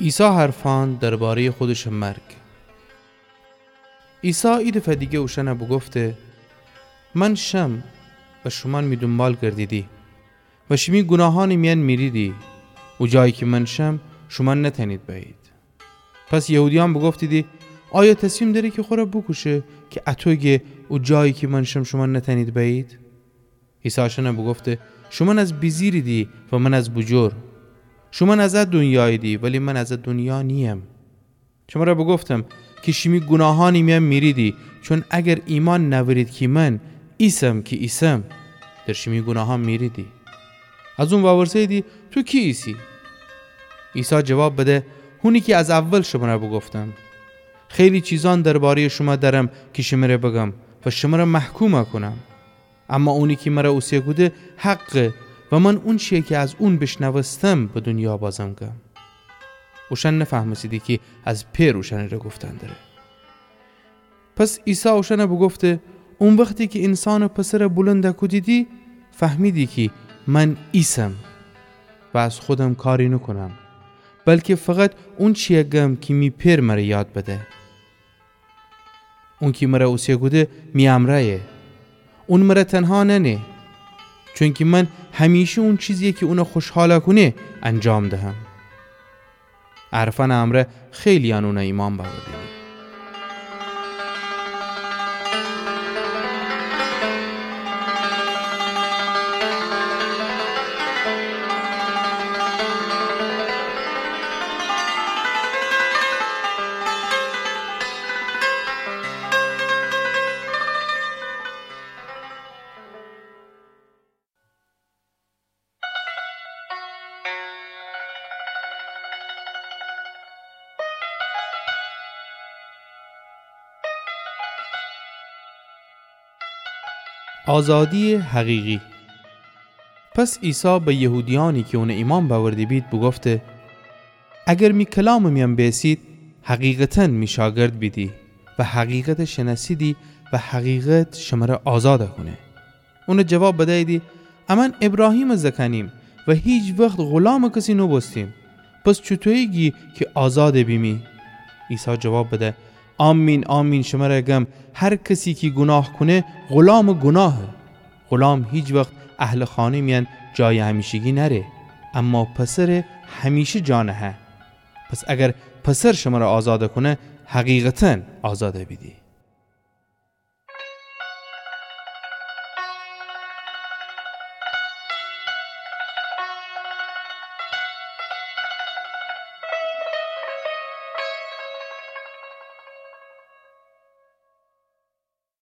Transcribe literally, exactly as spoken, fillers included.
عیسی حرفأن درباره‌یٚ خودشٚ مرگ. عیسی ایدفعه دیگر اوشأن بوگفته: من شم و شومأن می دونبال گردیدی و شیمی گوناهأنٚ میأن میریدی. او جایی کی من شم، شومأن نتأنید بأیید. پس یهودیأن بوگفتیدی: آیا تصمیم دأره کی خور بوکوشه کی اطو گه او جایی کی من شم شومأن نتأنید بأیید؟ عیسی اوشأن بوگفته: شومأن از بیجیریدی و من از بوجور. شومأن از ا دونیاییدی، ولی من از ا دونیا نییم. شمر بوگفتم کی شیمی گوناهأنٚ میأن میریدی، چون اگر ایمأن نأورید کی من ایسم کی ایسم، در شیمی گوناهأن میریدی. از اون وورسه‌ییدی: تو کی ایسی؟ عیسی جواب بده: هونی کی از اول شمر بوگفتم. خیلی چیزأن درباره‌یٚ شومأن دأرم کی شمر بگم و شمر محکوم کونم. اما اونی کی مر اوسه کوده حقه و من اونچیی کی از اون بیشنوستم به دونیا بازم گم. اوشأن نفهمستیدی کی از پئر اوشأنٚره گفتن دره. پس عیسی اوشأن بوگفته: او وختی کی اینسانٚ پسر بولند کودیدی، فهمیدی کی من ایسم و از خودم کاری نوکونم، بلکی فقط اونچیی گم کی می پئر مر یاد بده. اونکی مر اوسه کوده می امرأیه. اون مر تنها نأنه، چونکی من همیشه اون چیزیی کی اون خوشحال کونه انجام دهم. ا حرفأنٚ امرأ خیلییأن اون ایمأن بأوردیدی. آزادییٚ حقیقی. پس عیسی به یهودیأنی کی اون ایمأن بأورده بید بوگفته: اگر می کلامٚ میأن بیسید، حقیقتا می شاگرد بیدی و حقیقت شنأسیدی و حقیقت شمر آزاد کونه. اون جواب بدییدی: امأن ایبراهیمٚ زأکأنیم و هیچ وخت غولامٚ کسی نوبوستیم. پس چوطویی گی کی آزاد بیمی؟ عیسی جواب بده: آمین، آمین، شمر گم، هر کسی کی گوناه کونه، غولامٚ گوناهه. غولام هیچ وخت اهلٚ خانه میأن جایٚ همیشگی نأره، اما پسر همیشه جا نهه. پس اگر پسر شمر آزاد کونه، حقیقتا آزاد بیدی.